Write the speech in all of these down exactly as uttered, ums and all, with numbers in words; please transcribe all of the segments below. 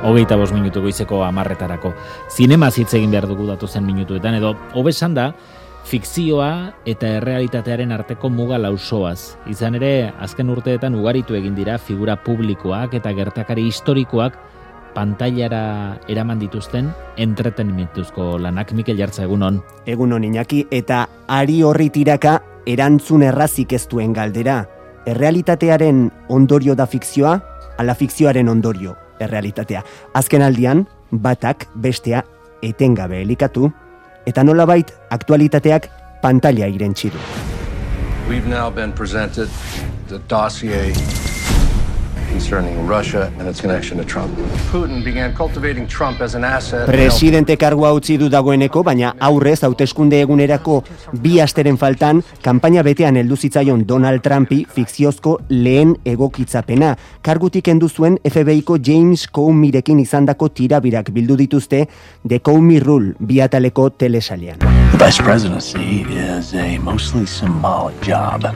hogeita bost minutu goizeko hamarretarako. Zinema hitz egin behar dugu datozen minutuetan, edo hobe esan da, fikzioa eta errealitatearen arteko muga lausoaz. Izan ere, azken urteetan ugaritu egin dira figura publikoak eta gertakari historikoak pantailara eraman dituzten entretenimentuzko lanak. Mikel Jartza, egunon. Egunon, Iñaki, eta ari horri tiraka erantzun errazik ez duen galdera. Errealitatearen ondorio da fikzioa, ala fikzioaren ondorio errealitatea. Azken aldian, batak bestea etengabe elikatu, eta nolabait aktualitateak pantaila irentsi du. We've now been presented the dossier concerning Russia and its connection to Trump. Putin began cultivating Trump as an asset. Presidente kargua utzi du dagoeneko, baina aurrez hauteskunde egunerako bi asteren faltan kanpaina betean heldu zitzaion Donald Trumpi fikziozko lehen egokitzapena. Kargutik kendu zuen F B I-ko James Comeyrekin izandako tirabirak bildu dituzte The Comey Rule bi ataleko telesailean. The vice presidency is a mostly symbolic job.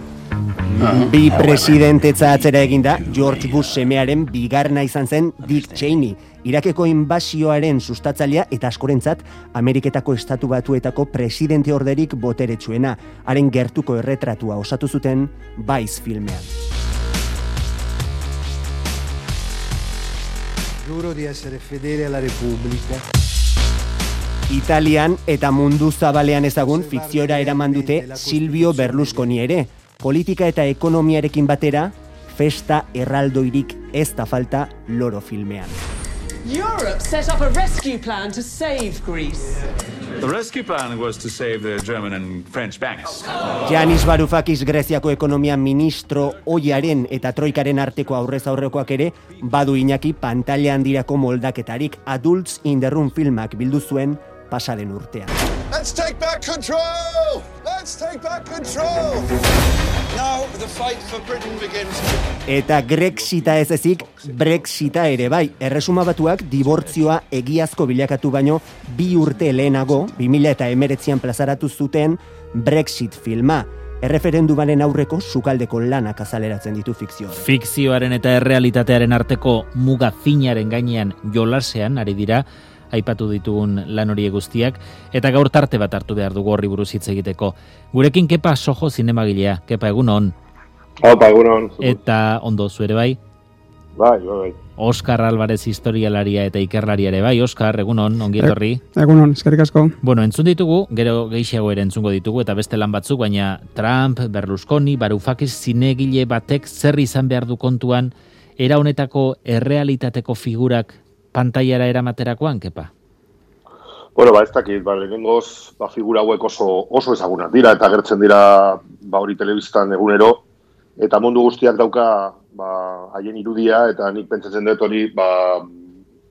Bi presidentetza atzera eginda, George Bush semearen bigarna izan zen Dick Cheney, Irakeko inbasioaren sustatzailea eta askorentzat Ameriketako Estatu Batuetako presidente orderik boteretsuena, haren gertuko erretratua osatu zuten Vice filmean. Giuro di essere fedele alla Repubblica. Italian eta mundu zabalean ezagun fikziora eraman dute Silvio Berlusconi ere. Politika eta ekonomiarekin batera, festa erraldoirik ez da falta loro filmean. Europe set up a rescue plan to save Greece. The rescue plan was to save the German and French banks. Yanis Varoufakis Greziako ekonomia ministro oiaren eta troikaren arteko aurrez aurrekoak ere, badu Iñaki pantaila handirako moldaketarik Adults in the Room filmak bildu zuen pasaden urtean. Let's take back control! Let's take back control! Now the fight for Britain begins. Eta Grexita ez ezik, Brexita ere bai. Erresuma Batuak dibortzioa egiazko bilakatu baino bi urte lehenago, bi mila hemeretzian plazaratu zuten Brexit filma. Erreferendumaren aurreko sukaldeko lanak azaleratzen ditu fikzioa. Fikzioaren eta errealitatearen arteko muga finaren gainean jolasean ari dira aipatu ditugun lan horiek guztiak, eta gaur tarte bat hartu behar dugu horri buruz hitz egiteko. Gurekin Kepa Sojo zinemagilea. Kepa, egunon. Opa, egunon. Eta ondo zuere bai? Bai, bai. Oskar Alvarez historialaria eta ikerlaria ere bai. Oskar, egunon, ongi etorri. Egunon, eskerrik asko. Bueno, entzun ditugu, gero gehiago ere entzungo ditugu, eta beste lan batzuk, baina Trump, Berlusconi, Varoufakis zinegile batek zer izan behar du kontuan, era honetako errealitateko figurak pantailara eramaterakoan, Kepa? Bueno, ba, ez dakit, ba, lehenengoz, ba, figura hauek oso, oso ezagunak dira, eta agertzen dira, ba, hori telebistan egunero, eta mundu guztiak dauka, ba, haien irudia, eta nik pentsatzen dut hori, ba,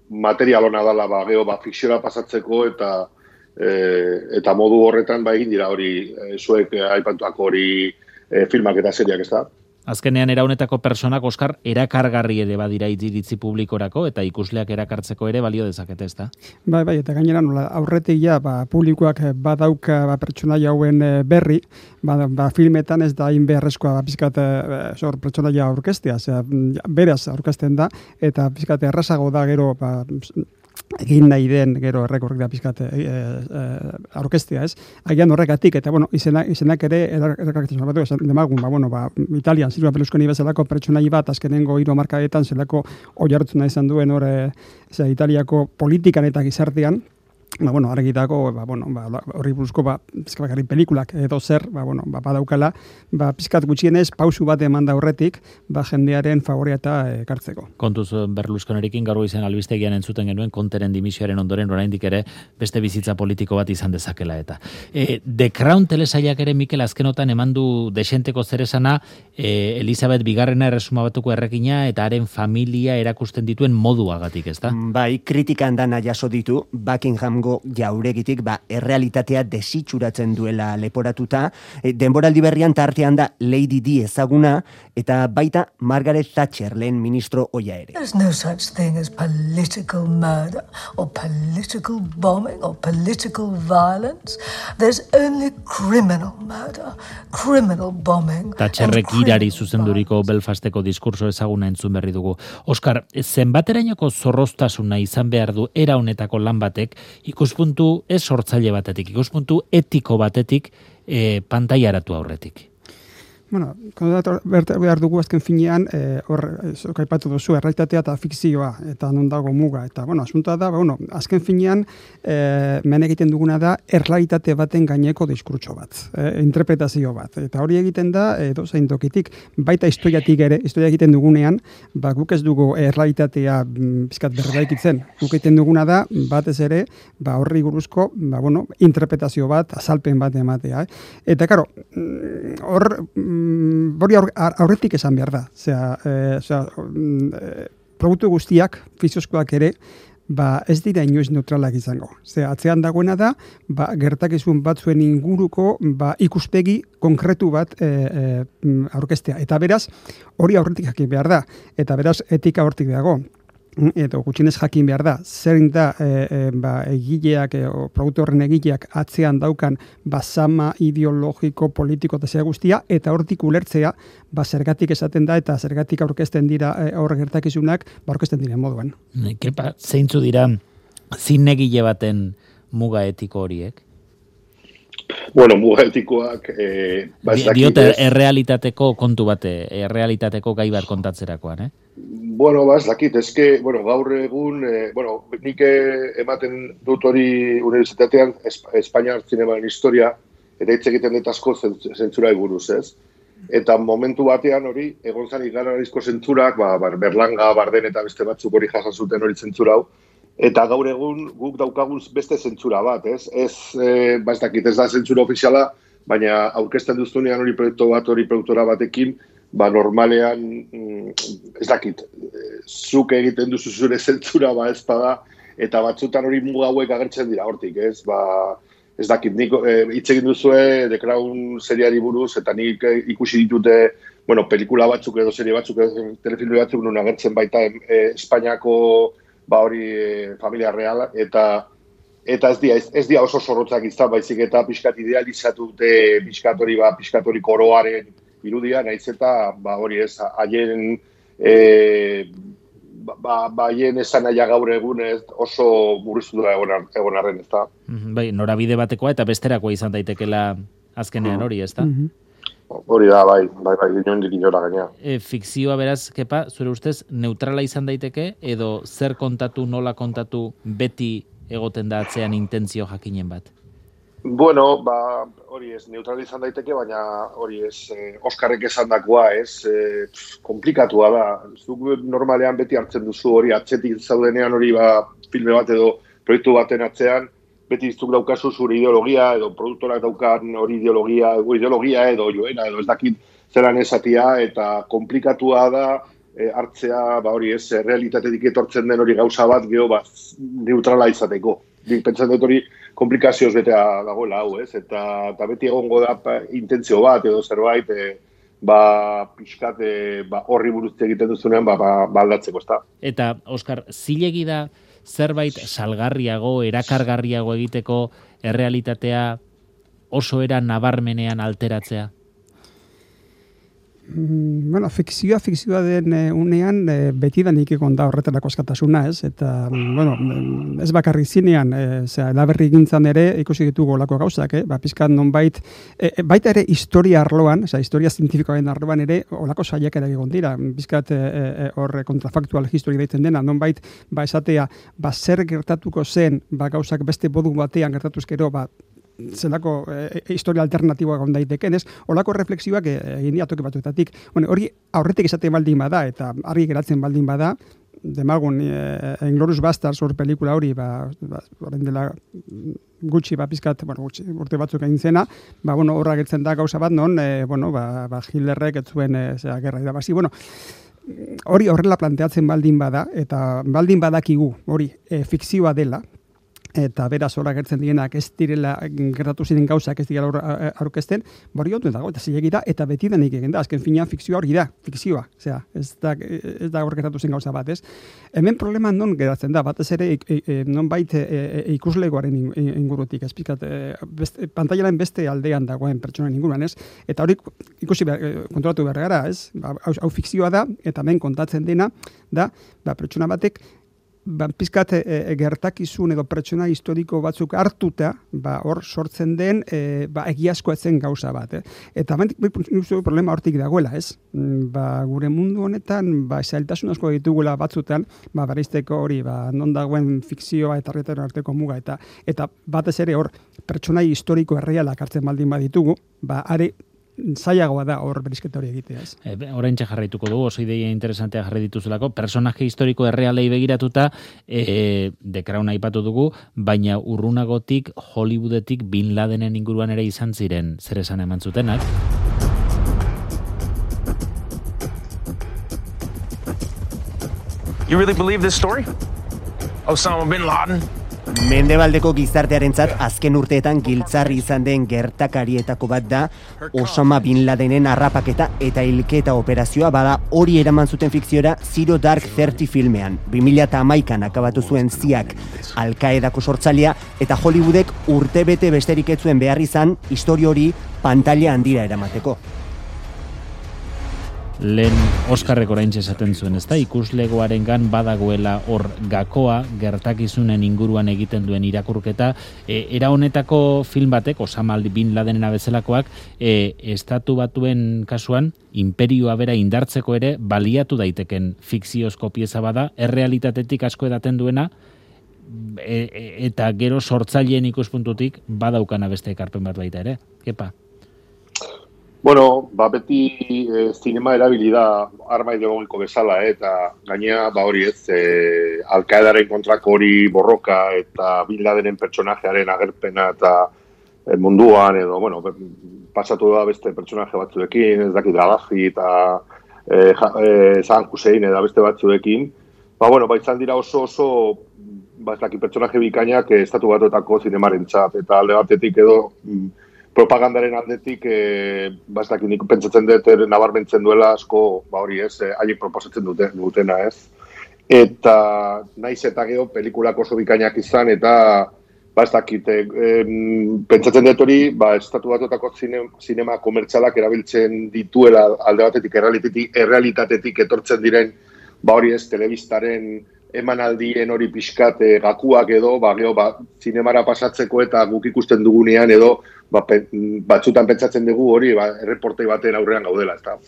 material hona dala, ba, geho, ba, fikziora pasatzeko, eta e, eta modu horretan, ba, egin dira hori, e, zuek e, aipatuako hori e, filmak eta seriak, ez da? Azkenean era honetako personak, Oskar, erakargarri ere badira iritzi publikorako eta ikusleak erakartzeko ere balio dezakete, ezta? Bai, bai, eta gainera nola aurretik ja, ba, publikoak badauka ba, pertsonaia hauen berri, ba, ba, filmetan ez da hain beharrezkoa ba, pizkat sor pertsonaia aurkeztea, osea, beraz aurkezten da eta pizkat errazago da gero ba, egin nahi den gero errekorrik da pizkat e, e, aurkeztea, ez? Agian horregatik, eta bueno, izenak, izenak ere erakartzen batu, esan demagun, ba, bueno, ba, Italian, Silvio Berlusconi bezalako pertsonai bat, azkenengo hiru hamarkadetan zelako oihartzuna izan duen hor, e, Italiako politikan eta gizartean, ba, bueno, argitako, ba, bueno, ba, horri buruzko, ba, pizkabakarri pelikulak edo zer, ba, bueno, ba, badaukala, ba, pizkat gutxienez, pausu bat eman da horretik, ba, jendearen favorea eta ekartzeko. Kontuz Berlusconirekin gaur izan albistegian entzuten genuen konteren dimisioaren ondoren oraindik ere beste bizitza politiko bat izan dezakela eta. E, The Crown telesailak ere Mikel azkenotan eman du desenteko zeresana e, Elizabeth Bigarrena Erresuma Batuko erregina eta haren familia erakusten dituen moduagatik, ezta? Bai, kritikan dana jaso ditu Buckingham lehenengo jauregitik ba, errealitatea desitxuratzen duela leporatuta. E, denboraldi berrian tartean da Lady Di ezaguna, eta baita Margaret Thatcher lehen ministro oia ere. There's no such thing as political murder or political bombing or political violence. There's only criminal murder, criminal bombing. Thatcherrek irari zuzenduriko Belfasteko diskurso ezaguna entzun berri dugu. Oskar, zenbaterainoko zorroztasuna izan behar du era honetako lan batek, ikuspuntu ez sortzaile batetik, ikuspuntu etiko batetik, e, pantaiaratu aurretik. Bueno, behar dugu azken finean, hor, e, kaipatu duzu, errealitatea eta fikzioa, eta non dago muga, eta, bueno, asuntoa da, bueno, azken finean, e, men egiten duguna da, errealitate baten gaineko diskurtso bat, e, interpretazio bat, eta hori egiten da, edo zein tokitik, baita historiatik ere, historia egiten dugunean, ba, guk ez dugu errealitatea bizkat berraikitzen, guk egiten duguna da, batez ere, ba, horri buruzko, ba, bueno, interpretazio bat, azalpen bat ematea, eh? Eta, karo, hor, hori aurretik esan behar da. Osea, eh, osea, eh, produktu guztiak, fiziozkoak ere, ba, ez dira inoiz neutralak izango. Osea, atzean dagoena da, ba, gertakizun batzuen inguruko ba, ikuspegi konkretu bat e, e, aurkeztea. Eta beraz, hori aurretik jakin behar da. Eta beraz, etika hortik dago. Edo gutxinez jakin behar da, zer da e, e, ba, egileak, e, o, produktu horren egileak atzean daukan basama ideologiko, politiko eta zera guztia, eta hortik ulertzea, ba, zergatik esaten da, eta zergatik aurkezten dira e, aurre gertakizunak, ba, aurkezten diren moduan. Kepa, zeintzu dira zinegile baten muga etiko horiek? Bueno, muga etikoak... Eh, Diote errealitateko kontu bate, errealitateko gai bat kontatzerakoan, eh? Bueno, ba, ez dakit, ezke, bueno, gaur egun, eh, bueno, nik ematen dut hori unibertsitatean Espainiar zinemaren historia, eta hitz egiten dut asko zentzura buruz, ez? Eta momentu batean hori, egon zan ikararizko zentzurak, ba, Berlanga, Barden eta beste batzuk hori jasan zuten hori zentzura hau, eta gaur egun guk daukagun beste zentzura bat, ez? Ez, eh, ba, ez dakit, ez da zentzura ofiziala, baina aurkezten duztunean hori proiektu bat, hori produktora batekin, ba, normalean, ez dakit, zuk egiten duzu zure zentzura, ba, ez bada, eta batzutan hori muga hauek agertzen dira hortik, ez, ba, ez dakit, nik hitz egin duzue The Crown seriari buruz, eta nik ikusi ditute, bueno, pelikula batzuk edo serie batzuk, telefilme batzuk, nun agertzen baita e, Espainiako, ba, hori e, familia reala, eta eta ez dia, ez, ez dia oso zorrotzak izan, baizik eta pixkat idealizatu dute, pixkat hori, ba, pixkat hori koroaren irudia, nahiz eta, ba, hori ez, haien, e, ba, ba, haien esan naia gaur egun ez oso murriztu da egon, egon arren, ez da. Bai, norabide batekoa eta besterakoa izan daitekela azkenean hori, ez da? Hori da, bai, bai, bai, inondik inora gaina. E, fikzioa beraz, Kepa, zure ustez, neutrala izan daiteke, edo zer kontatu, nola kontatu, beti egoten da atzean intentzio jakinen bat? Bueno, ba, hori ez, neutrala izan daiteke, baina hori ez, eh, Oskarrek esan dakoa, ez, eh, komplikatua da. Zuk normalean beti hartzen duzu hori, atzetik zaudenean hori, ba, filme bat edo proiektu baten atzean, beti zuk daukazu zure ideologia, edo produktorak daukan hori ideologia, edo ideologia edo joera, edo ez dakit zelan esatia, eta komplikatua da e, hartzea, ba hori ez, realitatetik etortzen den hori gauza bat, geho, ba, neutrala izateko. Nik pentsan dut hori komplikazioz betea dagoela hau, ez? Eta, eta beti egongo da pa, intentzio bat edo zerbait, e, ba, pixkat, e, ba, horri buruzte egiten duzunean, ba, ba, ba aldatzeko, ez da. Eta, Oskar, zilegi da zerbait salgarriago, erakargarriago egiteko errealitatea oso era nabarmenean alteratzea? Bueno, fikzioa, fikzioa den e, unean e, beti da nik egon da horretarako askatasuna, ez? Eta, bueno, ez bakarrik zinean, e, zera, elaberri gintzan ere ikusi ditugu olako gauzak, eh? Ba, pizkat nonbait, e, baita ere historia arloan, zera, historia zientifikoaren arloan ere olako saiakera egon dira, pizkat hor e, e, kontrafaktual history deitzen dena, nonbait, ba, esatea, ba, zer gertatuko zen, ba, gauzak beste bodu batean gertatuzkero, ba, zelako e, historia alternatiboa egon daiteken, ez? Olako reflexioak egin dira toki batzuetatik. Bueno, hori aurretik esaten baldin bada eta argi geratzen baldin bada, demagun e, Inglourious Basterds hor pelikula hori, ba, ba orain dela gutxi ba pizkat, bueno, gutxi urte batzuk egin zena, ba bueno, horra gertzen da gauza bat non, e, bueno, ba, ba Hitlerrek ez zuen e, zera gerra irabazi. Bueno, hori horrela planteatzen baldin bada eta baldin badakigu hori e, fikzioa dela, eta beraz hor agertzen dienak ez direla gertatu ziren gauzak ez dira aurkezten, bori otu dago, eta zilegi da, eta beti denik egin da, azken finean fikzioa hori da, fikzioa, osea, ez da, ez da hor gertatu zen gauza bat, ez? Hemen problema non geratzen da, batez ere e, e, non bait e, e, ikuslegoaren ingurutik, ez pizkat, e, beste, pantailaren beste aldean dagoen pertsonen inguruan, ez? Eta hori ikusi behar, kontrolatu behar gara, ez? Ba, hau, hau fikzioa da, eta hemen kontatzen dena, da, ba, pertsona batek, ba, pizkat e, gertakizun edo pertsona historiko batzuk hartuta, ba, hor sortzen den e, ba, egiazkoa zen gauza bat. Eh? Eta hemen problema hortik dagoela, ez? Ba, gure mundu honetan, ba, zailtasun asko ditugula batzutan, ba, bereizteko hori, ba, non dagoen fikzioa eta errealitatearen arteko muga, eta eta batez ere hor pertsonai historiko errealak hartzen baldin baditugu, ba, are zailagoa da hor berizketa hori egitea, ez? E, oraintxe jarraituko dugu, oso ideia interesantea jarri dituzelako, personaje historiko errealei begiratuta, e, The Crown aipatu dugu, baina urrunagotik, Hollywoodetik Bin Ladenen inguruan ere izan ziren, zer esan eman zutenak. You really believe this story? Osama Bin Laden? Mendebaldeko gizartearentzat azken urteetan giltzarri izan den gertakarietako bat da Osama Bin Ladenen harrapaketa eta hilketa operazioa, bada hori eraman zuten fikziora Zero Dark Thirty filmean. bi mila hamaikan akabatu zuen ziak Al-Qaedako sortzailea eta Hollywoodek urtebete besterik ez zuen behar izan historia hori pantaila handira eramateko. Lehen Oskarrek oraintxe esaten zuen, ezta? Ikuslegoarengan badagoela hor gakoa gertakizunen inguruan egiten duen irakurketa, e, era honetako film batek, Osama Bin Ladenen bezalakoak, e, estatu batuen kasuan imperioa bera indartzeko ere baliatu daiteken fikziozko pieza bada, errealitatetik asko edaten duena, e, e, eta gero sortzaileen ikuspuntutik badaukana beste ekarpen bat baita ere. Kepa? Bueno, ba, beti e, zinema erabili da arma ideologiko bezala, eh, eta gainea, ba hori ez, e, Al-Qaedaren kontrako hori borroka eta Bin Ladenen pertsonajearen agerpena eta e, munduan, edo, bueno, pasatu da beste pertsonaje batzuekin, ez dakit Gaddafi eta e, e, Saddam Hussein eta beste batzuekin, ba, bueno, ba, izan dira oso oso, ba, ez dakit pertsonaje bikainak estatu batuetako zinemarentzat, eta alde batetik edo propagandaren aldetik, e, bastak nik pentsatzen dut nabarmentzen duela asko, ba hori ez, e, haiek proposatzen dute, dutena ez. Eta naiz eta gero pelikulak oso bikainak izan, eta bastak e, pentsatzen dut hori, ba, estatu batutako zine, zinema komertzialak erabiltzen dituela alde batetik errealitatetik, errealitatetik etortzen diren, ba hori ez, telebistaren emanaldien hori pixkat e, gakuak edo, ba, geho, ba, zinemara pasatzeko eta guk ikusten dugunean edo, ba, pe, batzutan pentsatzen dugu hori, ba, erreportei baten aurrean gaudela, ezta.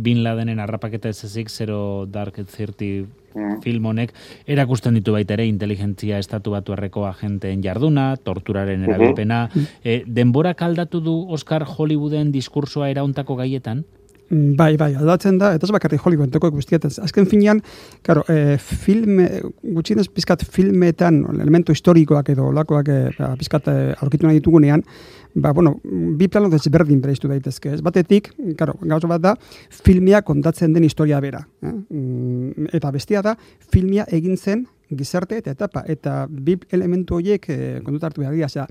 Bin Ladenen harrapaketa ez ezik, Zero Dark Thirty mm. film honek, erakusten ditu baita ere inteligentzia estatu batuarreko agenteen jarduna, torturaren erabilpena. Mm-hmm. E, denborak aldatu du Oscar Hollywooden diskursoa erauntako gaietan? Bai, bai, aldatzen da, eta ez bakarri Hollywoodeko guztietan. Azken finean, claro, e, film, gutxienez pizkat filmetan, elementu historikoak edo lakoak e, pizkat e, aurkitu nahi ditugunean, ba, bueno, bi plano desberdin bereiztu daitezke. Ez batetik, claro, gauza bat da, filmia kontatzen den historia bera. Eh? Eta bestia da, filmia egin zen gizarte eta etapa. Eta bi elementu horiek e, kontuta hartu behar dira. Osea,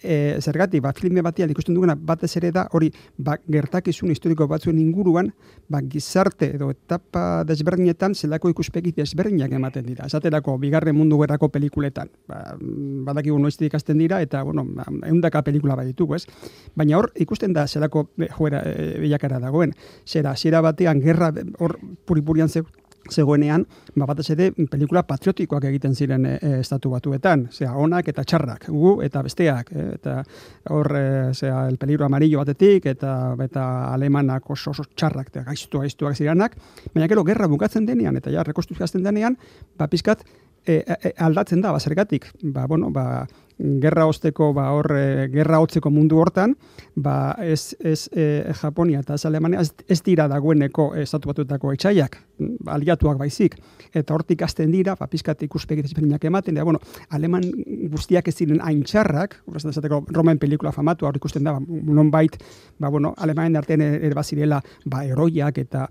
E, zergatik, ba, filme batian ikusten duguna batez ere da, hori, ba, gertakizun historiko batzuen inguruan, ba, gizarte edo etapa desberdinetan zelako ikuspegi desberdinak ematen dira. Esaterako, bigarren mundu gerrako pelikuletan. Ba, badakigu noiztik ikasten dira, eta, bueno, eundaka pelikula bat ditugu, ez? Baina hor, ikusten da zelako joera e, bilakara dagoen. Zera, zera batean, gerra hor puripurian ze zegoenean, ba, batez ere pelikula patriotikoak egiten ziren e, estatu batuetan, zera, onak eta txarrak, gu eta besteak, e, eta hor, e, zera, el peligro amarillo batetik, eta eta alemanak oso, oso txarrak, eta gaiztu, gaiztuak ziranak, baina gero, gerra bukatzen denean, eta ja, rekonstruzioazten denean, ba, pizkat, e, e, aldatzen da, ba, zergatik, ba, bueno, ba, gerra osteko, ba, hor, e, gerra hotzeko mundu hortan, ba, ez, ez e, Japonia eta ez Alemania, ez, ez dira dagoeneko estatu batuetako etxaiak, aliatuak baizik, eta hortik hasten dira, ba, pizkat ikuspegi desberdinak ematen, da, bueno, aleman guztiak ez ziren hain txarrak, esateko Roman pelikula famatu, hor ikusten da, ba, nonbait, ba, bueno, alemanen artean ere bazirela, ba, eroiak eta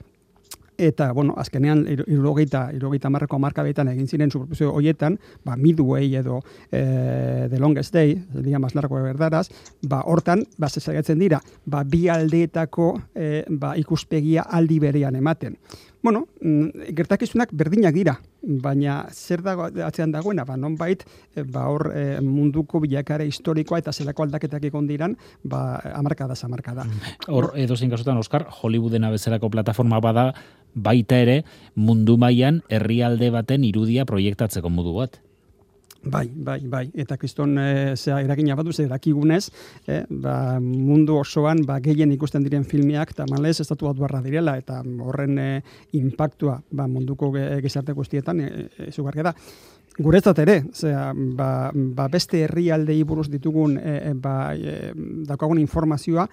Eta, bueno, azkenean, irurogeita, irurogeita marreko markabetan egin ziren superprodukzio horietan, ba, Midway edo eh, The Longest Day, el día más largo de verdaraz, ba, hortan, ba, zezagatzen dira, ba, bi aldeetako eh, ba, ikuspegia aldi berean ematen. Bueno, gertakizunak berdinak dira, baina zer dago atzean dagoena, ba, nonbait, ba, hor e, munduko bilakare historikoa eta zelako aldaketak egon diran, ba, amarkada zamarkada. Hor, edozein kasutan, Oskar, Hollywoodena bezalako plataforma bada, baita ere, mundu mailan herrialde baten irudia proiektatzeko modu bat. Bai, bai, bai. Eta kriston e, zera eragina badu, zer dakigunez, e, ba, mundu osoan ba, gehien ikusten diren filmeak, eta malez, estatu bat barra direla, eta horren e, impactua ba, munduko gizarte guztietan e, e, zugarria da. Guretzat ere, zera, ba, ba beste herrialdei buruz ditugun e, ba, e, daukagun informazioa,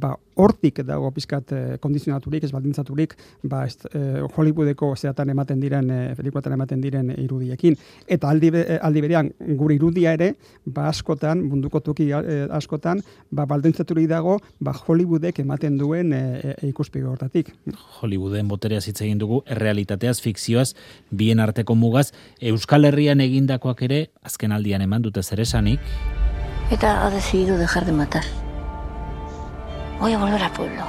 ba, hortik dago pizkat e, kondizionaturik, ez baldintzaturik, ba, est, e, Hollywoodeko zeatan ematen diren, e, pelikuatan ematen diren irudiekin. Eta aldi, aldi berean, gure irudia ere, ba, askotan, munduko toki e, askotan, ba, baldintzaturik dago, ba, Hollywoodek ematen duen e, e, ikuspegi hortatik. Hollywooden botereaz hitz egin dugu, errealitateaz, fikzioaz, bien arteko mugaz, Euskal Herrian egindakoak ere, azken aldian eman dute zer esanik. ETA ha decidido dejar de matar. Voy a volver al pueblo.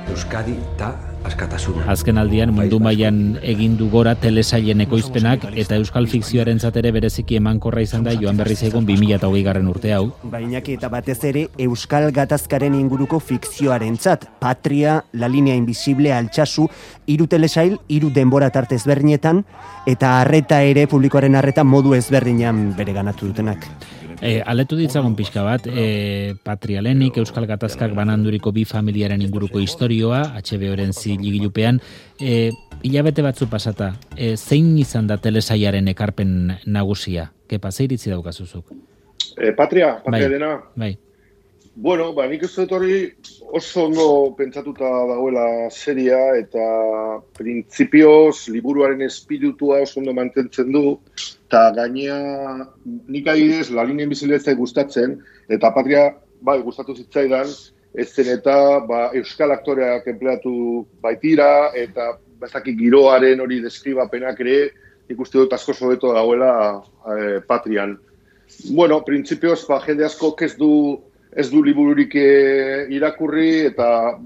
Euskadi da askatasuna. Azken aldian mundu mailan egin du gora telesailen ekoizpenak eta euskal fikzioarentzat ere bereziki emankorra izan da joan berri zaigun bi mila hogeigarren urte hau. Bainaki eta batez ere euskal gatazkaren inguruko fikzioarentzat, Patria, La Línea Invisible, Altsasu, hiru telesail, hiru denbora tarte ezberdinetan eta harreta ere publikoaren harreta modu ezberdinean bereganatu dutenak. E, aletu ditzagun pixka bat, e, Patria lehenik, Euskal Gatazkak bananduriko bi familiaren inguruko historioa, H B Oren ziligilupean, e, hilabete batzu pasata, e, zein izan da telesaiaren ekarpen nagusia? Kepa, ze iritzi daukazuzuk? E, Patria, Patria bai, dena? Bai. Bueno, ba, nik ez dut hori oso ondo pentsatuta dagoela seria eta printzipioz liburuaren espiritua oso ondo mantentzen du eta gainea nik adibidez La Línea Invisible ez zait gustatzen eta Patria bai gustatu zitzaidan ez zen eta ba, euskal aktoreak empleatu baitira eta bazaki giroaren hori deskribapenak ere ikuste dut asko hobeto dagoela eh, Patrian. Bueno, printzipioz ba, jende asko ez du ez du libururik e, irakurri eta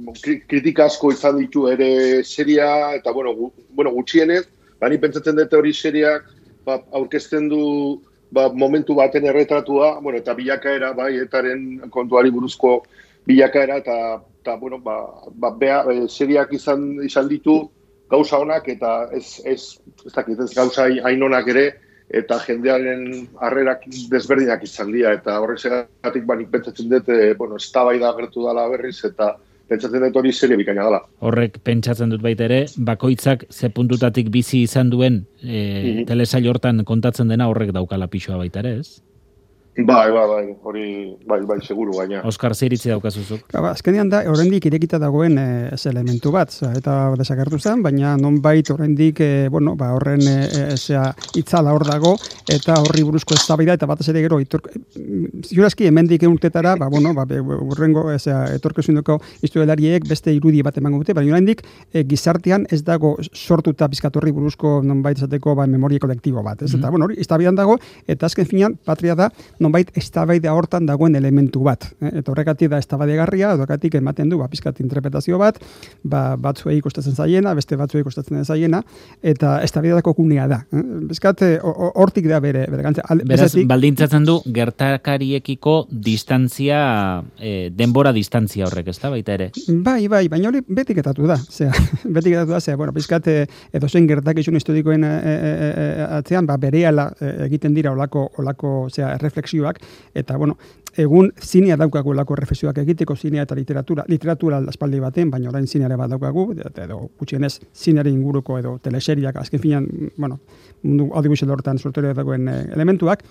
kritika asko izan ditu ere seria eta bueno, gu, bueno gutxienez, bani pentsatzen dute hori seriak ba, aurkezten du ba, momentu baten erretratua, bueno, eta bilakaera bai etaren kontuari buruzko bilakaera eta eta bueno, ba, ba bea, e, seriak izan izan ditu gauza onak eta ez ez ez dakit ez gauza hain onak ere eta jendearen harrerak desberdinak izan dira, eta horrexegatik banik pentsatzen dut, e, bueno, eztabaida agertu dela berriz, eta pentsatzen dut hori serie bikaina dela. Horrek pentsatzen dut baita ere, bakoitzak ze puntutatik bizi izan duen e, mm-hmm. telesail hortan kontatzen dena horrek daukala pixoa baita ere, ez? Bai, bai, bai, hori, bai, bai, seguru gaina. Oskar, zer iritzi daukazuzuk? Ba, azkenean da, oraindik irekita dagoen e, ez elementu bat, za, eta desagertu zen, baina nonbait oraindik, e, bueno, ba, horren e, zea, itzala hor dago, eta horri buruzko eztabaida eta batez ere gero, itor, ziurazki hemendik urtetara, ba, bueno, ba, urrengo, zea, etorkezundoko historialariek beste irudi bat emango dute, baina oraindik e, gizartean ez dago sortuta pizkatorri buruzko nonbait esateko ba, memoria kolektibo bat, ez? Mm-hmm. Eta, bueno, hori, eztabaidan dago, eta azken finean, Patria da, nonbait eztabaida hortan dagoen elementu bat. Eh? Eta horregatik da eztabaidagarria, horregatik ematen du ba, pizkat interpretazio bat, ba, batzuei kostatzen zaiena, beste batzuei kostatzen zaiena, eta eztabaidako gunea da. Eh? Pizkat hortik da bere, bere gantza. Beraz, bezatik, baldintzatzen du gertakariekiko distantzia, eh, denbora distantzia horrek, ez da, baita ere? Bai, bai, baina hori betik etatu da. Zea, betik etatu da, zea, bueno, pizkat edo zen gertakizun historikoen e, e, e, atzean, ba, berehala egiten dira olako, olako zea, refleksioak, eta, bueno, egun zinea daukagu lako refleksioak egiteko, zinea eta literatura, literatura aspaldi baten, baina orain zineare bat daukagu, edo gutxienez zineare inguruko edo teleseriak, azken finean, bueno, mundu audiovisual hortan sortorio dagoen e, elementuak,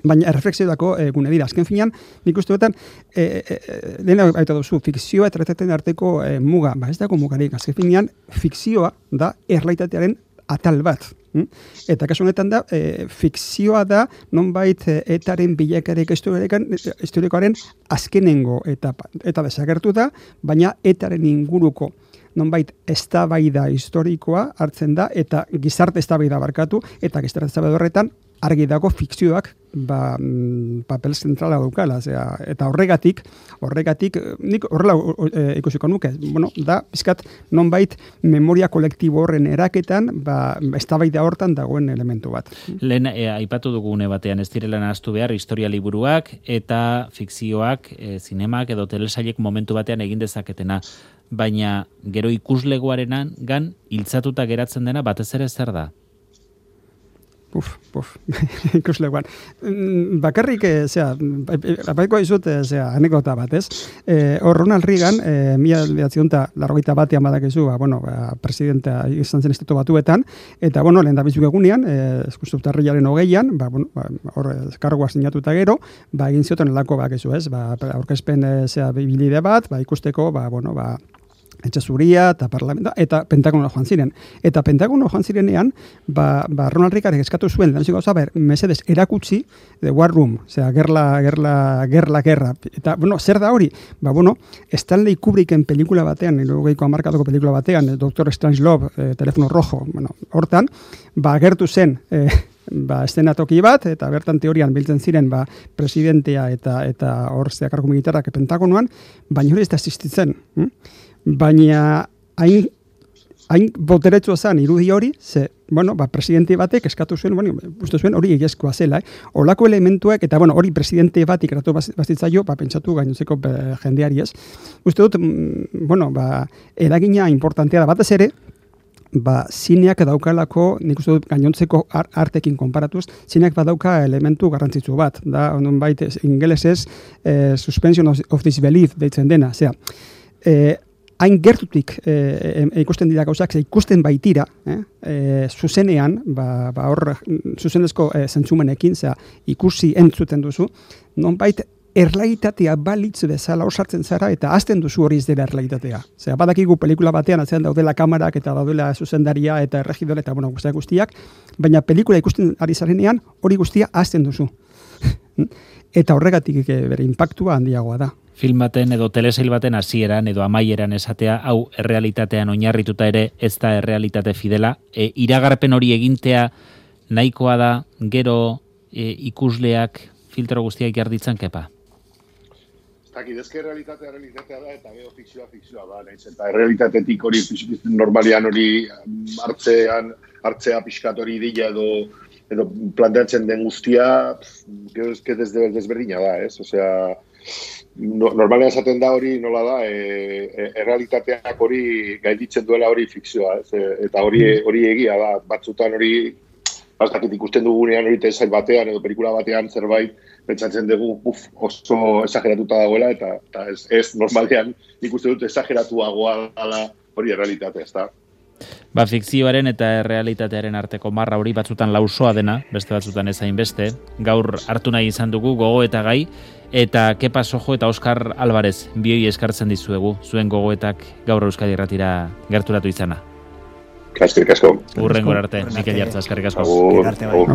baina erreflexiodako e, gune dira. Azken finean, nik uste betan, e, e, lehena baita duzu, fikzioa eta errealitatearen arteko e, muga, ba ez dago mugarik, azken finean, fikzioa da errealitatearen atal bat. Eta kasu honetan da, e, fikzioa da, nonbait e, etaren bilakarik historikoaren azkenengo etapa. Eta desagertu da, baina etaren inguruko nonbait eztabaida historikoa hartzen da, eta gizarte eztabaida barkatu, eta gizarte eztabaida horretan argi dago fikzioak ba, papel zentrala daukala, zera, eta horregatik, horregatik, nik horrela e, ikusiko nuke, bueno, da, bizkat, nonbait memoria kolektibo horren eraketan, ba, eztabaida hortan dagoen elementu bat. Lehen, e, aipatu dugune batean, ez direla nahaztu behar, historia liburuak eta fikzioak, e, zinemak edo telesailek momentu batean egin dezaketena, baina gero ikuslegoarenan gan hiltzatuta geratzen dena batez ere zer da? Puf, puf, ikusleguan. Bakarrik, e, zera, apaiko izut, zera, anekdota bat, ez? E, hor, Ronald Reagan, e, mila behatzionta larrogeita batean badakizu, ba, bueno, ba, presidentea izan zen estatu batuetan, eta, bueno, lehen da bizuk egunean, e, eskustuptarriaren hogeian, ba, bueno, ba, hor, kargoa sinatuta gero, ba, egin zioten elako bakizu, ez? Ba, aurkezpen, e, zera, bibilide bat, ba, ikusteko, ba, bueno, ba, etxe zuria eta parlamenta, eta Pentagono joan ziren. Eta Pentagono joan zirenean, ba, ba Ronald Reagan eskatu zuen, da gauza, ber, mesedes erakutsi, the war room, osea, gerla, gerla, gerla, gerra. Eta, bueno, zer da hori? Ba, bueno, Stanley Kubricken pelikula batean, hirurogeiko hamarkadako pelikula batean, Doctor Strangelove, eh, Telefono Rojo, bueno, hortan, ba, gertu zen, eh, ba, estenatoki bat, eta bertan teorian biltzen ziren, ba, presidentea eta eta hor zeakarko militarrak Pentagonoan, baina hori ez da existitzen. Hm? Baina hain, hain boteretsua zen irudi hori, ze, bueno, ba, presidente batek eskatu zuen, bueno, uste zuen hori egiezkoa zela, eh? Olako elementuak, eta, bueno, hori presidente bat ikratu bazitzaio, ba, pentsatu gainontzeko jendeari ez. Uste dut, bueno, ba, eragina importantea da batez ere, ba, zineak daukalako, nik uste dut gainontzeko artekin konparatuz, zineak badauka elementu garrantzitsu bat, da, ondun baita, ingelesez, eh, suspension of, of disbelief deitzen dena, zera, eh, hain gertutik e, e, ikusten dira gauzak, ikusten baitira, eh? E, zuzenean, ba, ba hor, zuzenezko e, zentzumenekin, zera, ikusi entzuten duzu, nonbait errealitatea balitz bezala osartzen zara, eta azten duzu hori ez dela errealitatea. Zera, badakigu pelikula batean, atzean daudela kamarak, eta daudela zuzendaria, eta erregidore, eta bueno, guztiak guztiak, baina pelikula ikusten ari zarenean, hori guztia azten duzu. Eta horregatik bere impactua handiagoa da. Film baten edo telesail baten hasieran edo amaieran esatea, hau errealitatean oinarrituta ere ez da errealitate fidela. E, iragarpen hori egintea nahikoa da gero e, ikusleak filtro guztiak jarditzen kepa? Ez dakit, ezke realitatea realitatea da eta gero fikzioa fikzioa da. Naiz, eta errealitatetik hori normalian hori hartzean, hartzea pixkat hori dila edo edo planteatzen den guztia, gero ezke desberdina da, ez? Osea, no, normalean esaten da hori nola da, e, e, errealitateak hori gainditzen duela hori fikzioa, ez? E, eta hori hori egia da, batzutan hori, bastakit ikusten dugunean hori telesail batean edo pelikula batean zerbait, pentsatzen dugu uf, oso esageratuta dagoela, eta, eta ez, ez normalean ikusten dut esageratuagoa dela hori errealitatea, ez da? Ba, fikzioaren eta errealitatearen arteko marra hori batzutan lausoa dena, beste batzutan ezain beste, gaur hartu nahi izan dugu gogo eta gai, eta Kepa Sojo eta Oskar Alvarez bioi eskartzen dizuegu, zuen gogoetak gaur Euskadi Irratira gerturatu izana. Eskerrik asko. Hurrengo arte, Mikel Jartza, eskerrik asko. Agur. Agur.